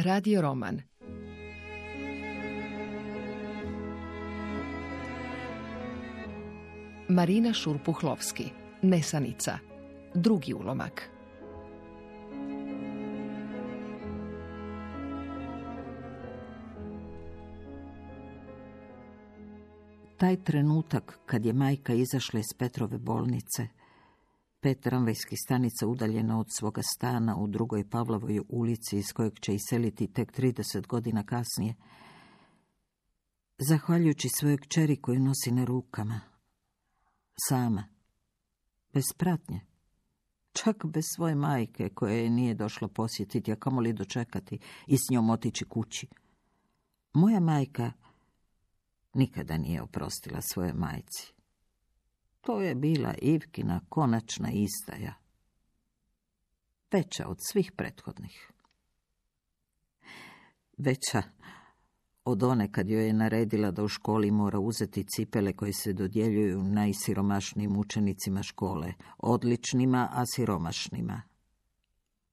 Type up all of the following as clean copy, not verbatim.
Radio roman. Marina Šurpuhlovski, Nesanica. Drugi ulomak. Taj trenutak kad je majka izašla iz Petrove bolnice, 5 tramvajskih stanica udaljena od svoga stana u drugoj Pavlovoj ulici iz kojeg će iseliti tek 30 godina kasnije, zahvaljujući svojoj kćeri koju nosi na rukama, sama, bez pratnje, čak bez svoje majke koja je nije došla posjetiti, a kamoli dočekati i s njom otići kući. Moja majka nikada nije oprostila svojoj majci. To je bila Ivkina konačna izdaja, veća od svih prethodnih. Veća od one kad joj je naredila da u školi mora uzeti cipele koje se dodjeljuju najsiromašnijim učenicima škole, odličnima, a siromašnima.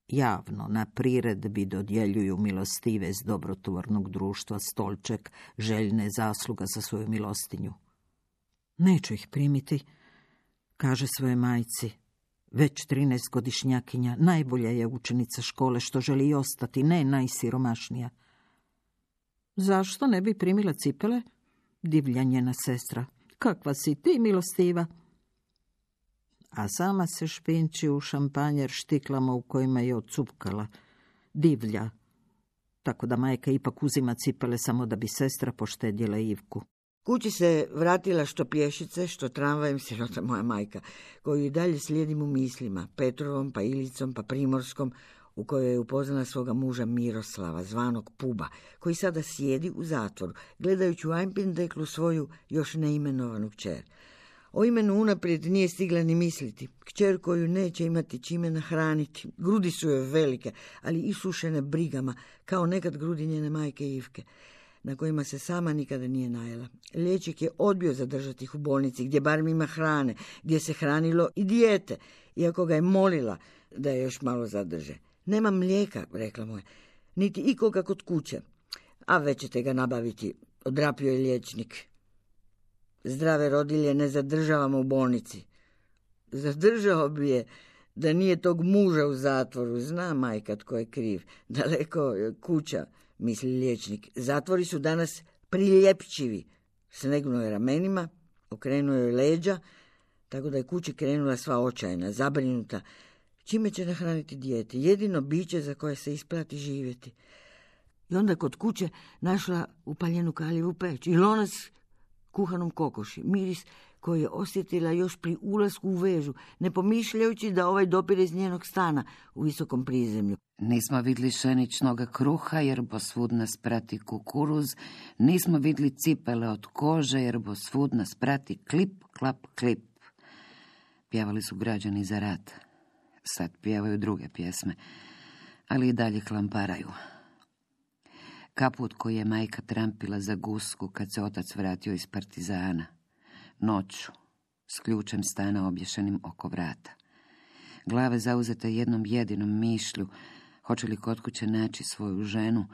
Javno, na priredbi dodjeljuju milostive s dobrotvornog društva stolček, željne zasluga za svoju milostinju. Neću ih primiti, kaže svojoj majci, već 13-godišnjakinja, najbolja je učenica škole što želi i ostati, ne najsiromašnija. Zašto ne bi primila cipele? Divlja njena sestra. Kakva si ti, milostiva? A sama se špinči u šampanjer štiklama u kojima je ocupkala. Divlja. Tako da majka ipak uzima cipele samo da bi sestra poštedjela Ivku. Kući se vratila što pješice, što tramvajem, sirota moja majka, koju i dalje slijedim u mislima, Petrovom, pa Ilicom, pa Primorskom, u kojoj je upoznala svoga muža Miroslava, zvanog Puba, koji sada sjedi u zatvoru, gledajući u Ajmpindeklu svoju još neimenovanu kćer. O imenu unaprijed nije stigla ni misliti. Kćer koju neće imati čime nahraniti. Grudi su joj velike, ali isušene brigama, kao nekad grudi njene majke Ivke, na kojima se sama nikada nije najela. Liječnik je odbio zadržati ih u bolnici, gdje barem ima hrane, gdje se hranilo i dijete, iako ga je molila da je još malo zadrže. Nema mlijeka, rekla mu je, niti ikoga kod kuće. A već ćete ga nabaviti, odrapio je liječnik. Zdrave rodilje ne zadržavamo u bolnici. Zadržao bi je da nije tog muža u zatvoru. Zna majka tko je kriv. Daleko kuća, misli liječnik. Zatvori su danas priljepčivi. Snegnuo je ramenima, okrenuo je leđa, tako da je kući krenula sva očajna, zabrinuta. Čime će nahraniti dijete? Jedino biće za koje se isplati živjeti. I onda kod kuće našla upaljenu kaljevu peć i lonac kuhanom kokoši, miris koji je osjetila još pri ulasku u vežu, ne pomišljajući da ovaj dopire iz njenog stana u visokom prizemlju. Nismo vidli pšeničnoga kruha, jer bo svud nas prati kukuruz, nismo vidli cipele od kože, jer bo svud nas prati klip, klap, klip. Pjevali su građani za rat. Sad pjevaju druge pjesme, ali i dalje klamparaju. Kaput koji je majka trampila za gusku kad se otac vratio iz partizana. Noću, s ključem stana obješenim oko vrata. Glave zauzete jednom jedinom mišlju, hoće li kod kuće naći svoju ženu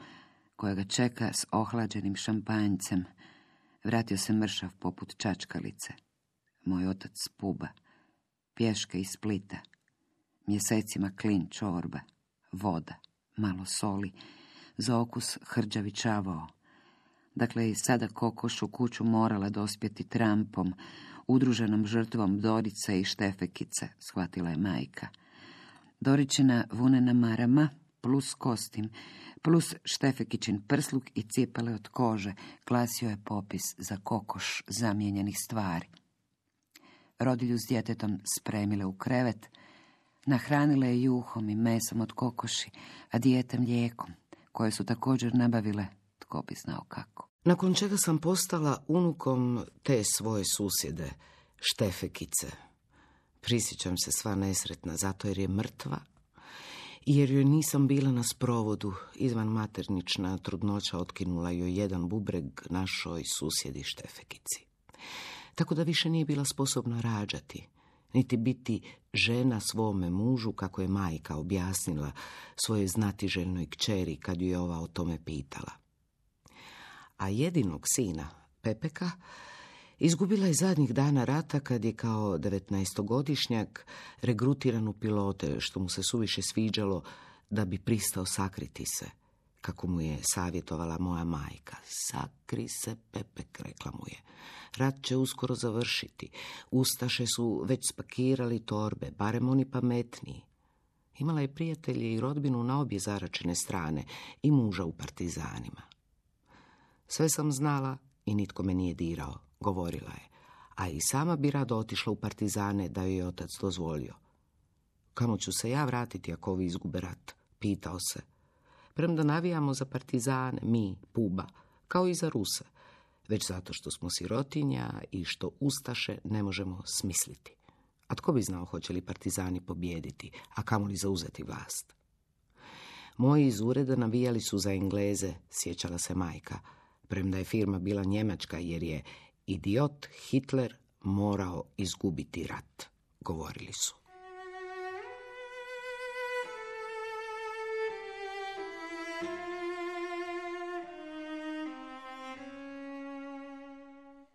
koja ga čeka s ohlađenim šampanjcem. Vratio se mršav poput čačkalice. Moj otac Puba, pješke iz Splita. Mjesecima klin čorba, voda, malo soli, za okus hrđavi čavao. Dakle, i sada kokoš u kuću morala dospjeti trampom, udruženom žrtvom Dorice i Štefekice, shvatila je majka. Doričina vunena marama, plus kostim, plus Štefekićin prsluk i cipele od kože, glasio je popis za kokoš zamijenjenih stvari. Rodilju s djetetom spremile u krevet, nahranile je juhom i mesom od kokoši, a dijete mlijekom, koje su također nabavile, tko bi znao kako. Nakon čega sam postala unukom te svoje susjede, Štefekice. Prisjećam se sva nesretna, zato jer je mrtva, jer joj nisam bila na sprovodu. Izvan maternična trudnoća otkinula joj jedan bubreg našoj susjedi Štefekici. Tako da više nije bila sposobna rađati. niti biti žena svome mužu, kako je majka objasnila svojoj znatiželjnoj kćeri kad ju je ova o tome pitala. A jedinog sina, Pepeka, izgubila je zadnjih dana rata kad je kao 19-godišnjak regrutiran u pilote, što mu se suviše sviđalo da bi pristao sakriti se, kako mu je savjetovala moja majka. Sakri se, Pepek, rekla mu je. Rat će uskoro završiti. Ustaše su već spakirali torbe, barem oni pametniji. Imala je prijatelje i rodbinu na obje zaračene strane i muža u partizanima. Sve sam znala i nitko me nije dirao, govorila je, a i sama bi rado otišla u partizane da joj je otac dozvolio. Kamo ću se ja vratiti ako ovi izgube rat, pitao se. Premda navijamo za partizane, mi, Puba, kao i za Ruse, već zato što smo sirotinja i što ustaše ne možemo smisliti. A tko bi znao hoće li partizani pobijediti, a kamoli zauzeti vlast? Moji iz ureda navijali su za Engleze, sjećala se majka, premda je firma bila njemačka jer je idiot Hitler morao izgubiti rat, govorili su.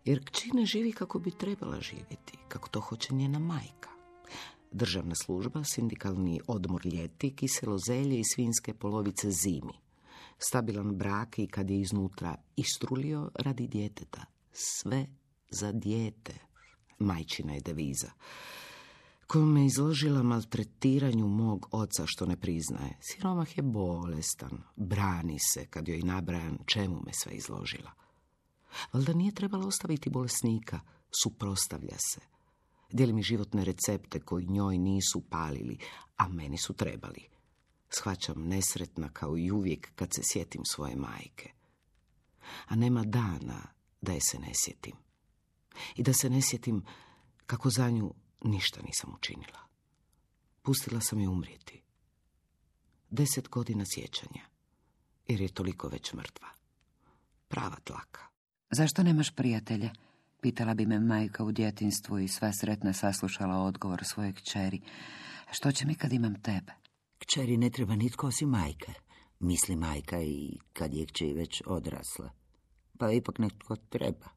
Jer kći ne živi kako bi trebala živjeti, kako to hoće njena majka. Državna služba, sindikalni odmor ljeti, kiselo zelje i svinjske polovice zimi. Stabilan brak i kad je iznutra istrulio radi djeteta. Sve za dijete, majčina je deviza, koju me izložila maltretiranju mog oca što ne priznaje. Siromah je bolestan, brani se kad joj nabrajan čemu me sve izložila. Valjda nije trebalo ostaviti bolesnika, suprotstavlja se. Dijeli mi životne recepte koji njoj nisu palili, a meni su trebali. Shvaćam nesretna kao i uvijek kad se sjetim svoje majke. A nema dana da je se ne sjetim. I da se ne sjetim kako za nju ništa nisam učinila. Pustila sam je umrijeti. 10 godina sjećanja, jer je toliko već mrtva. Prava tlaka. Zašto nemaš prijatelja? Pitala bi me majka u djetinjstvu i sva sretna saslušala odgovor svoje kćeri. Što će mi kad imam tebe? Kćeri ne treba nitko osim majke, misli majka i kad je kći već odrasla. Pa ipak netko treba,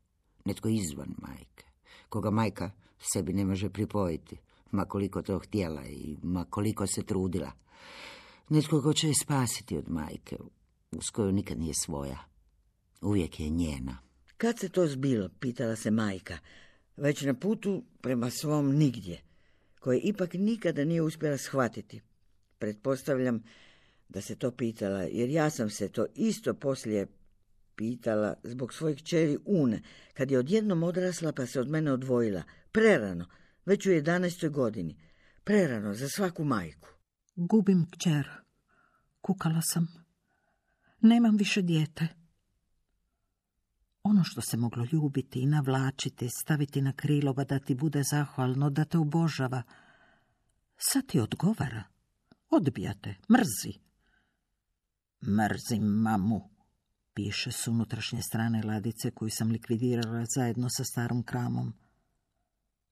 netko izvan majke, koga majka sebi ne može pripojiti, ma koliko to htjela i ma koliko se trudila. Netko ko će je spasiti od majke, uz koju nikad nije svoja, uvijek je njena. Kad se to zbilo, pitala se majka, već na putu prema svom nigdje, koje ipak nikada nije uspjela shvatiti. Pretpostavljam da se to pitala, jer ja sam se to isto poslije pitala zbog svojih kćeri Une, kad je odjednom odrasla pa se od mene odvojila, prerano, već u 11. godini, prerano za svaku majku. Gubim kćer, kukala sam, nemam više dijete. Ono što se moglo ljubiti i navlačiti, staviti na krilova da ti bude zahvalno, da te obožava, sad ti odgovara, odbija te, mrzi. Mrzim mamu, piše s unutrašnje strane ladice koju sam likvidirala zajedno sa starom kramom.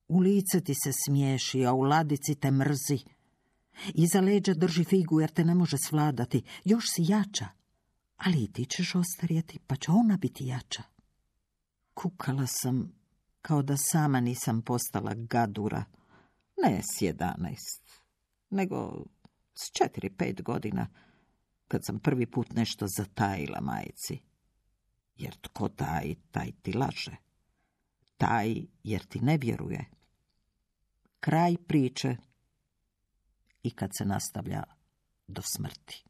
U lice ti se smiješi, a u ladici te mrzi. Iza leđa drži figu jer te ne može svladati, još si jača, ali i ti ćeš ostarjeti, pa će ona biti jača. Kukala sam kao da sama nisam postala gadura, ne s 11, nego s 4-5 godina, kad sam prvi put nešto zatajila majci. Jer tko taj, taj ti laže. Taj jer ti ne vjeruje. Kraj priče i kad se nastavlja do smrti.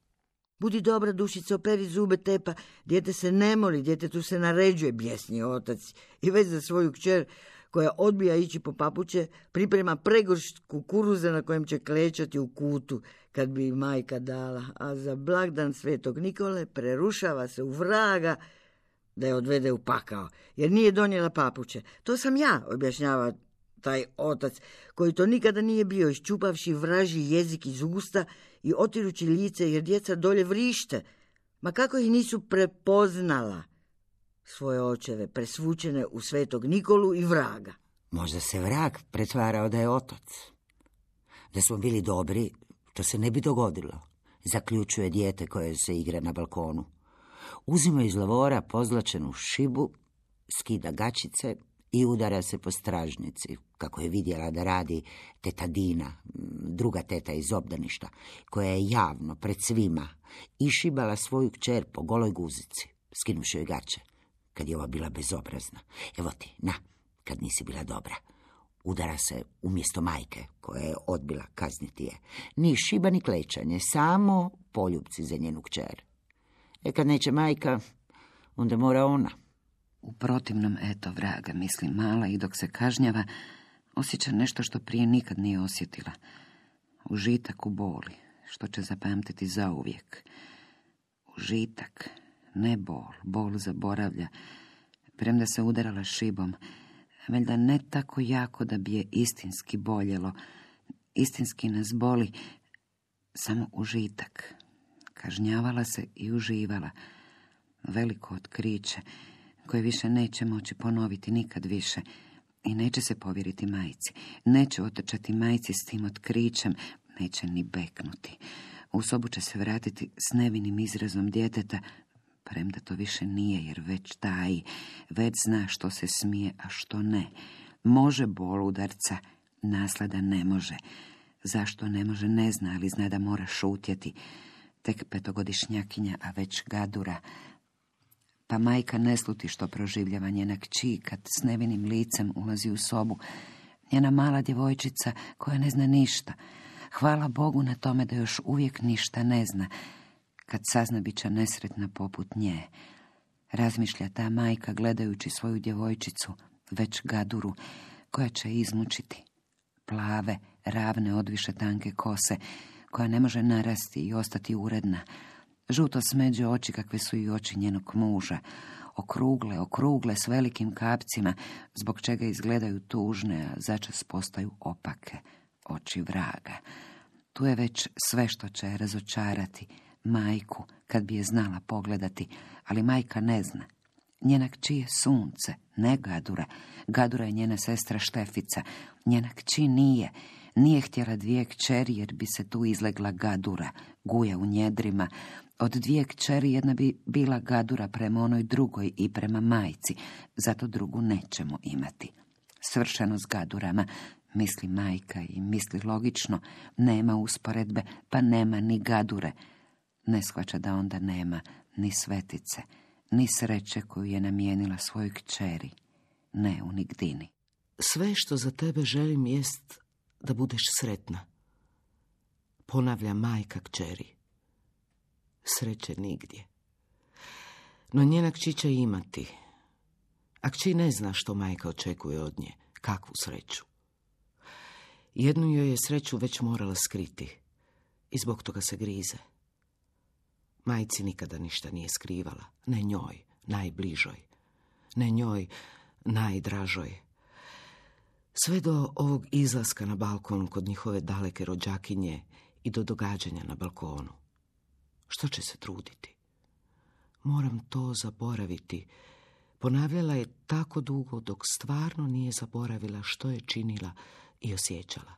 Budi dobra, dušica, operi zube, tepa, dijete se ne moli, djetetu se naređuje, bjesni otac. I već za svoju kćer, koja odbija ići po papuče, priprema pregoršt kukuruza na kojem će klečati u kutu, kad bi majka dala. A za blagdan Svetog Nikole prerušava se u vraga da je odvede u pakao, jer nije donijela papuče. To sam ja, objašnjava taj otac, koji to nikada nije bio, iščupavši vražji jezik iz usta i otirući lice, jer djeca dolje vrište. Ma kako ih nisu prepoznala, svoje očeve, presvučene u Svetog Nikolu i vraga. Možda se vrag pretvarao da je otac. Da smo bili dobri, to se ne bi dogodilo, zaključuje dijete koje se igra na balkonu. Uzima iz lavora pozlačenu šibu, skida gačice i udara se po stražnici, kako je vidjela da radi teta Dina, druga teta iz obdaništa, koja je javno, pred svima, išibala svoju kćer po goloj guzici, skinuši joj gače, kad je ova bila bezobrazna. Evo ti, na, kad nisi bila dobra. Udara se umjesto majke, koja je odbila kazniti je. Ni šiba, ni klečanje, samo poljupci za njenu kćer. Kad neće majka, onda mora ona. U protivnom, eto vraga, misli mala i dok se kažnjava, osjeća nešto što prije nikad nije osjetila. Užitak u boli, što će zapamtiti zauvijek. Užitak, ne bol, bol zaboravlja. Premda se udarala šibom, valjda ne tako jako da bi je istinski boljelo. Istinski nas boli samo užitak. Kažnjavala se i uživala. Veliko otkriće, koje više neće moći ponoviti nikad više. I neće se povjeriti majci. Neće otrčati majci s tim otkrićem. Neće ni beknuti. U sobu će se vratiti s nevinim izrazom djeteta, premda to više nije, jer već taji, već zna što se smije, a što ne. Može bol udarca, naslada ne može. Zašto ne može, ne zna, ali zna da mora šutjeti. Tek 5-godišnjakinja, a već gadura. Pa majka ne sluti što proživljava njena kći kad s nevinim licem ulazi u sobu. Njena mala djevojčica koja ne zna ništa. Hvala Bogu na tome da još uvijek ništa ne zna. Kad sazna, bit će nesretna poput nje. Razmišlja ta majka gledajući svoju djevojčicu, već gaduru, koja će izmučiti. Plave, ravne, odviše tanke kose, koja ne može narasti i ostati uredna. Žuto smeđe oči kakve su i oči njenog muža. Okrugle s velikim kapcima, zbog čega izgledaju tužne, a začas postaju opake. Oči vraga. Tu je već sve što će razočarati majku, kad bi je znala pogledati, ali majka ne zna. Njena kći je sunce, ne gadura. Gadura je njena sestra Štefica. Njena kći nije htjela 2 kćeri, jer bi se tu izlegla gadura, guja u njedrima. Od 2 kćeri jedna bi bila gadura prema onoj drugoj i prema majci, zato drugu nećemo imati. Svršeno s gadurama, misli majka i misli logično, nema usporedbe, pa nema ni gadure. Ne shvaća da onda nema ni svetice, ni sreće koju je namijenila svojoj kćeri, ne u nigdini. Sve što za tebe želim jest da budeš sretna, ponavlja majka kćeri. Sreće nigdje. No njena kći će imati, a kći ne zna što majka očekuje od nje, kakvu sreću. Jednu joj je sreću već morala skriti i zbog toga se grize. Majci nikada ništa nije skrivala, ne njoj, najbližoj, ne njoj, najdražoj. Sve do ovog izlaska na balkon kod njihove daleke rođakinje i do događanja na balkonu. Što će se truditi? Moram to zaboraviti. Ponavljala je tako dugo dok stvarno nije zaboravila što je činila i osjećala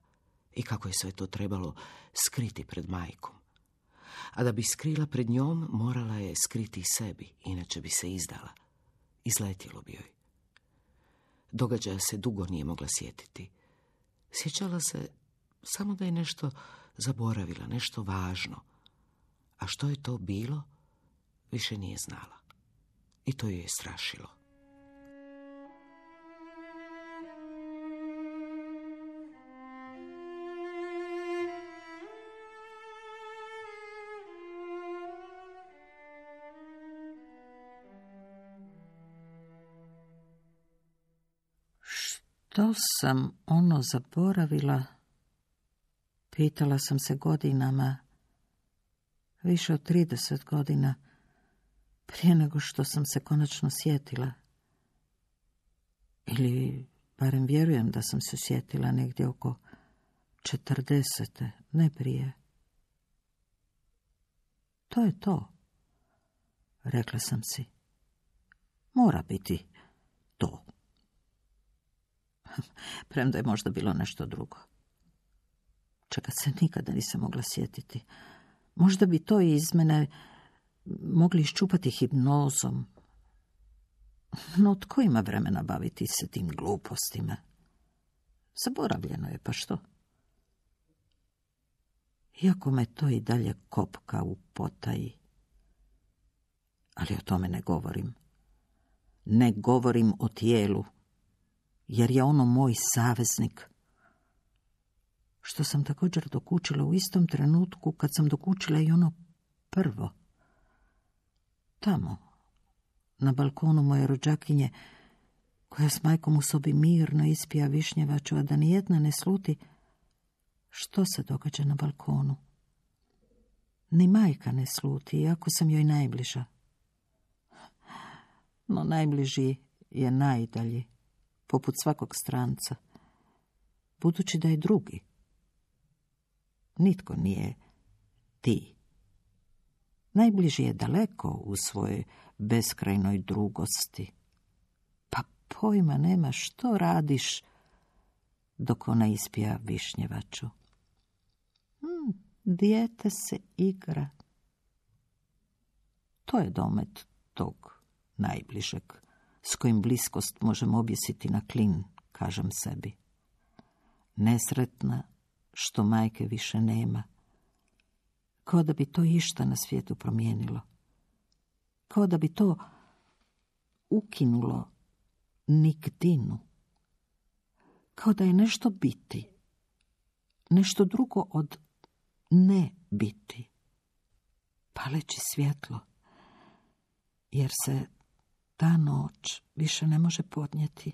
i kako je sve to trebalo skriti pred majkom. A da bi skrila pred njom, morala je skriti sebi, inače bi se izdala. Izletjelo bi joj. Događaja se dugo nije mogla sjetiti. Sjećala se samo da je nešto zaboravila, nešto važno. A što je to bilo, više nije znala. I to ju je strašilo. Što sam ono zaboravila? Pitala sam se godinama, više od 30 godina, prije nego što sam se konačno sjetila. Ili barem vjerujem da sam se sjetila negdje oko 40, ne prije. To je to, rekla sam si. Mora biti to. Premda je možda bilo nešto drugo. Čega se nikada nisam mogla sjetiti. Možda bi to iz mene mogli iščupati hipnozom. No tko ima vremena baviti se tim glupostima? Zaboravljeno je, pa što? Iako me to i dalje kopka u potaji. Ali o tome ne govorim. Ne govorim o tijelu, jer je ono moj saveznik. Što sam također dokučila u istom trenutku kad sam dokučila i ono prvo. Tamo, na balkonu moje rođakinje, koja s majkom u sobi mirno ispija višnjevaču, a da nijedna ne sluti što se događa na balkonu. Ni majka ne sluti, iako sam joj najbliža. No najbliži je najdalji, poput svakog stranca, budući da je drugi. Nitko nije ti. Najbliži je daleko u svojoj beskrajnoj drugosti. Pa pojma nema što radiš dok ona ispija višnjevaču. Dijete se igra. To je domet tog najbližeg, s kojim bliskost možemo objesiti na klin, kažem sebi. Nesretna što majke više nema. Kao da bi to išta na svijetu promijenilo. Kao da bi to ukinulo nigdinu. Kao da je nešto biti. Nešto drugo od ne biti. Paleći svjetlo. Jer se ta noć više ne može podnijeti.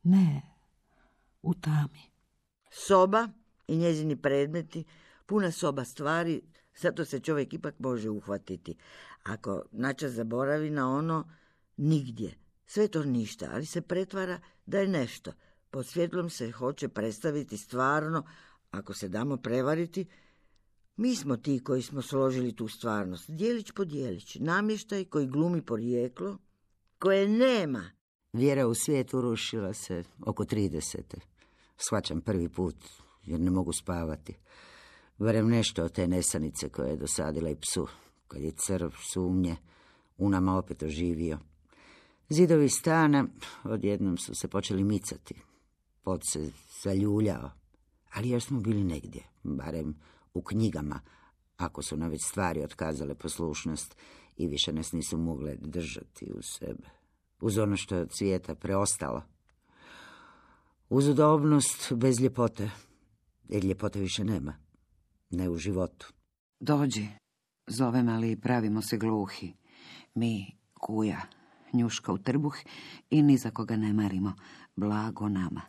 Ne, u tami. Soba i njezini predmeti, puna soba stvari, zato se čovjek ipak može uhvatiti. Ako načas zaboravi na ono, nigdje. Sve to ništa, ali se pretvara da je nešto. Pod svjetlom se hoće predstaviti stvarno, ako se damo prevariti. Mi smo ti koji smo složili tu stvarnost, dijelić po dijelić, namještaj koji glumi porijeklo, koje nema. Vjera u svijet urušila se oko 30. Shvaćam prvi put, jer ne mogu spavati. Barem nešto od te nesanice koje je dosadila i psu, kad je crv, sumnje, u nama opet oživio. Zidovi stana odjednom su se počeli micati. Pod se zaljuljao, ali još smo bili negdje, barem u knjigama, ako su nam već stvari otkazale poslušnost i više nas nisu mogle držati uz sebe. Uz ono što je od svijeta preostalo. Uz udobnost bez ljepote, jer ljepote više nema, ne u životu. Dođi, zovem, ali pravimo se gluhi. Mi, kuja, njuška u trbuh i ni za koga ne marimo, blago nama.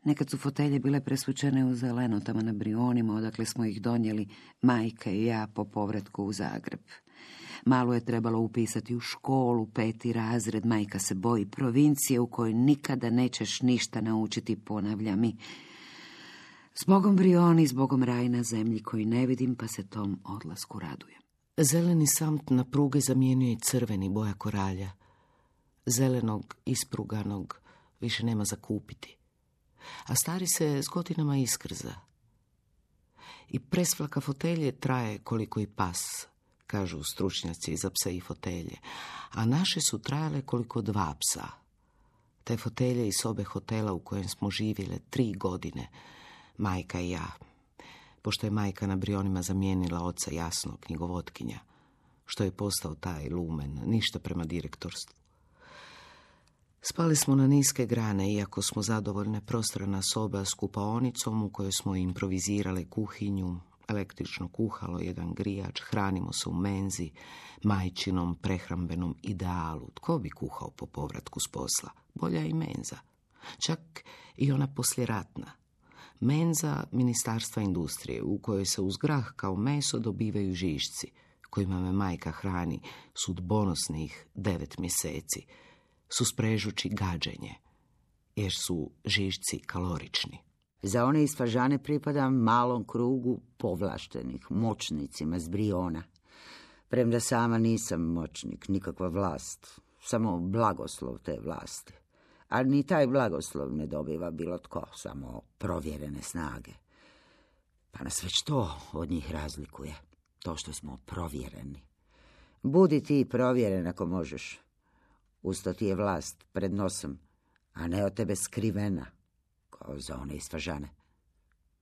Nekad su fotelje bile presvučene u zeleno tamo na Brionima, odakle smo ih donijeli majka i ja po povratku u Zagreb. Malo je trebalo upisati u školu, 5. razred, majka se boji provincije u kojoj nikada nećeš ništa naučiti, ponavlja mi. Zbogom Brioni, zbogom raj na zemlji koji ne vidim, pa se tom odlasku radujem. Zeleni samt na pruge zamijenio i crveni, boja koralja. Zelenog, ispruganog, više nema za kupiti. A stari se s godinama iskrza. I presvlaka fotelje traje koliko i pas, kažu stručnjaci za pse i fotelje, a naše su trajale koliko 2 psa. Te fotelje iz sobe hotela u kojem smo živjele 3 godine, majka i ja, pošto je majka na Brionima zamijenila oca Jasno, knjigovodkinja, što je postao taj lumen, ništa prema direktorstvu. Spali smo na niske grane, iako smo zadovoljne, prostorna soba s kupaonicom u kojoj smo improvizirale kuhinju, električno kuhalo, jedan grijač, hranimo se u menzi, majčinom prehrambenom idealu. Tko bi kuhao po povratku s posla? Bolja i menza. Čak i ona posljeratna. Menza Ministarstva industrije, u kojoj se uz grah kao meso dobivaju žišci, kojima me majka hrani sudbonosnih 9 mjeseci, susprežući gađenje, jer su žišci kalorični. Za one iz Fažane pripadam malom krugu povlaštenih moćnicima s Briona. Premda sama nisam moćnik, nikakva vlast, samo blagoslov te vlasti. A ni taj blagoslov ne dobiva bilo tko, samo provjerene snage. Pa nas već to od njih razlikuje, to što smo provjereni. Budi ti provjeren ako možeš. Usto ti je vlast pred nosom, a ne od tebe skrivena, kao za one iz Fažane.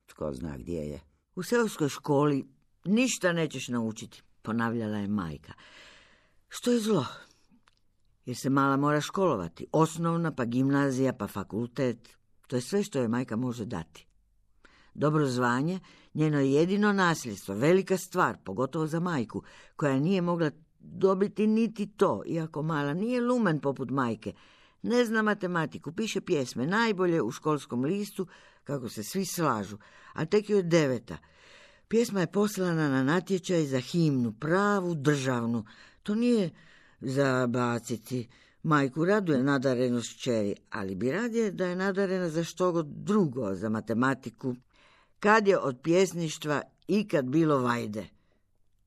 Tko zna gdje je. U seoskoj školi ništa nećeš naučiti, ponavljala je majka. Što je zlo? Jer se mala mora školovati. Osnovna, pa gimnazija, pa fakultet. To je sve što je majka može dati. Dobro zvanje, njeno je jedino nasljedstvo, velika stvar, pogotovo za majku, koja nije mogla dobiti niti to, iako mala nije lumen poput majke. Ne zna matematiku, piše pjesme, najbolje u školskom listu, kako se svi slažu, a tek joj je 9. Pjesma je poslana na natječaj za himnu, pravu državnu. To nije za baciti. Majku raduje nadarenost kćeri, ali bi radije da je nadarena za što god drugo, za matematiku. Kad je od pjesništva ikad bilo vajde?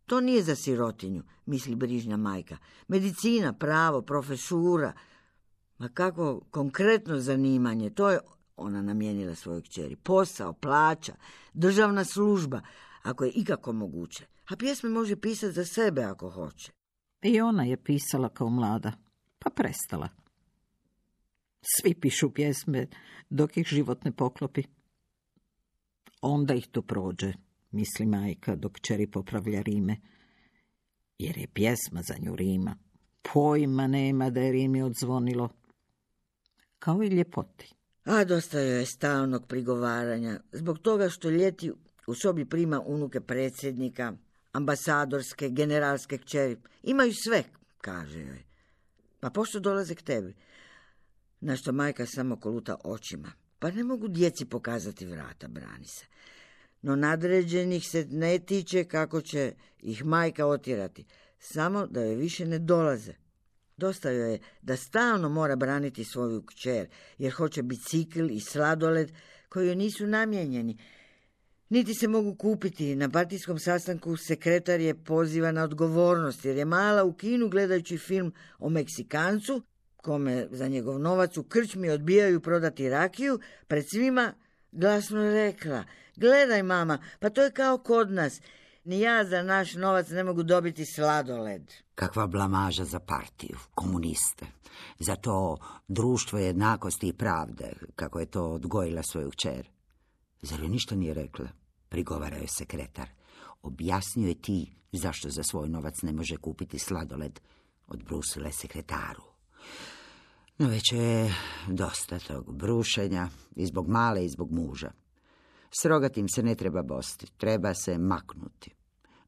To nije za sirotinju, misli brižna majka. Medicina, pravo, profesura, ma kako konkretno zanimanje, to je ona namijenila svojoj kćeri. Posao, plaća, državna služba, ako je ikako moguće. A pjesme može pisati za sebe ako hoće. I ona je pisala kao mlada, pa prestala. Svi pišu pjesme dok ih život ne poklopi. Onda ih to prođe, misli majka dok kćeri popravlja rime. Jer je pjesma za nju rima. Pojma nema da je rimi odzvonilo. Kao i ljepoti. A dosta joj je stalnog prigovaranja, zbog toga što ljeti u sobi prima unuke predsjednika, ambasadorske, generalske kćeri. Imaju sve, kaže joj. Pa pošto dolaze k tebi? Na što majka samo koluta očima. Pa ne mogu djeci pokazati vrata, brani se. No nadređenih se ne tiče kako će ih majka otjerati. Samo da joj više ne dolaze. Dosta joj je da stalno mora braniti svoju kćer, jer hoće bicikl i sladoled koji joj nisu namijenjeni. Niti se mogu kupiti. Na partijskom sastanku sekretar je poziva na odgovornost, jer je mala u kinu gledajući film o Meksikancu, kome za njegov novac u krčmi odbijaju prodati rakiju, pred svima glasno rekla: gledaj mama, pa to je kao kod nas. Ni ja za naš novac ne mogu dobiti sladoled. Kakva blamaža za partiju, komuniste. Za to društvo jednakosti i pravde, kako je to odgojila svoju kćer. Zar joj ništa nije rekla? Prigovara joj sekretar. Objasnio je ti zašto za svoj novac ne može kupiti sladoled. Odbrusila je sekretaru. No već je dosta tog brušenja, i zbog male i zbog muža. S rogatim se ne treba bosti, treba se maknuti.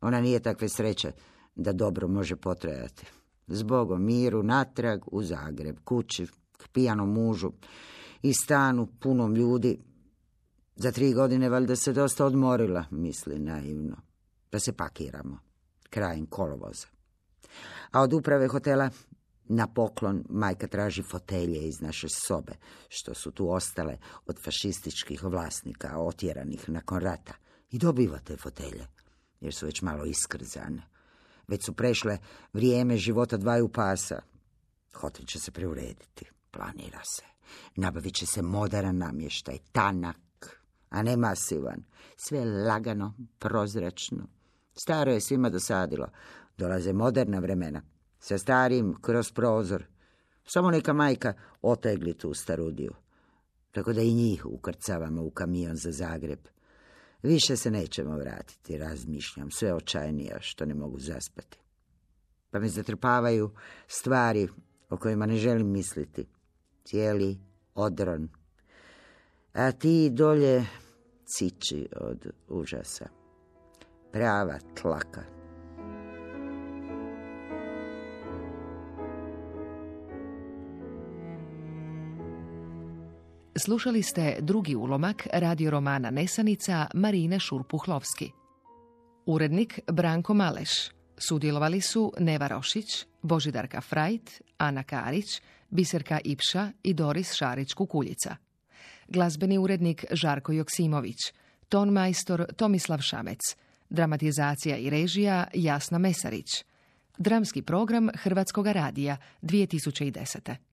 Ona nije takve sreće da dobro može potrajati. Zbogom miru natrag u Zagreb, kući, k pijanom mužu i stanu punom ljudi. Za 3 godine valjda se dosta odmorila, misli naivno. Da se pakiramo, krajem kolovoza. A od uprave hotela na poklon majka traži fotelje iz naše sobe, što su tu ostale od fašističkih vlasnika otjeranih nakon rata. I dobiva te fotelje, jer su već malo iskrzane. Već su prešle vrijeme života 2 pasa. Hotel će se preurediti, planira se. Nabavit će se moderan namještaj, tanak, a ne masivan. Sve lagano, prozračno. Staro je svima dosadilo. Dolaze moderna vremena. Sa starim kroz prozor. Samo neka majka otegli tu starudiju. Tako da i njih ukrcavamo u kamion za Zagreb. Više se nećemo vratiti, razmišljam, sve očajnija što ne mogu zaspati. Pa me zatrpavaju stvari o kojima ne želim misliti. Cijeli odron. A ti dolje ciči od užasa. Prava tlaka. Slušali ste drugi ulomak radio romana Nesanica Marine Šurpuhlovski. Urednik Branko Maleš. Sudjelovali su Neva Rošić, Božidarka Frajt, Ana Karić, Biserka Ipša i Doris Šarić-Kukuljica. Glazbeni urednik Žarko Joksimović, ton majstor Tomislav Šamec, dramatizacija i režija Jasna Mesarić. Dramski program Hrvatskoga radija 2010.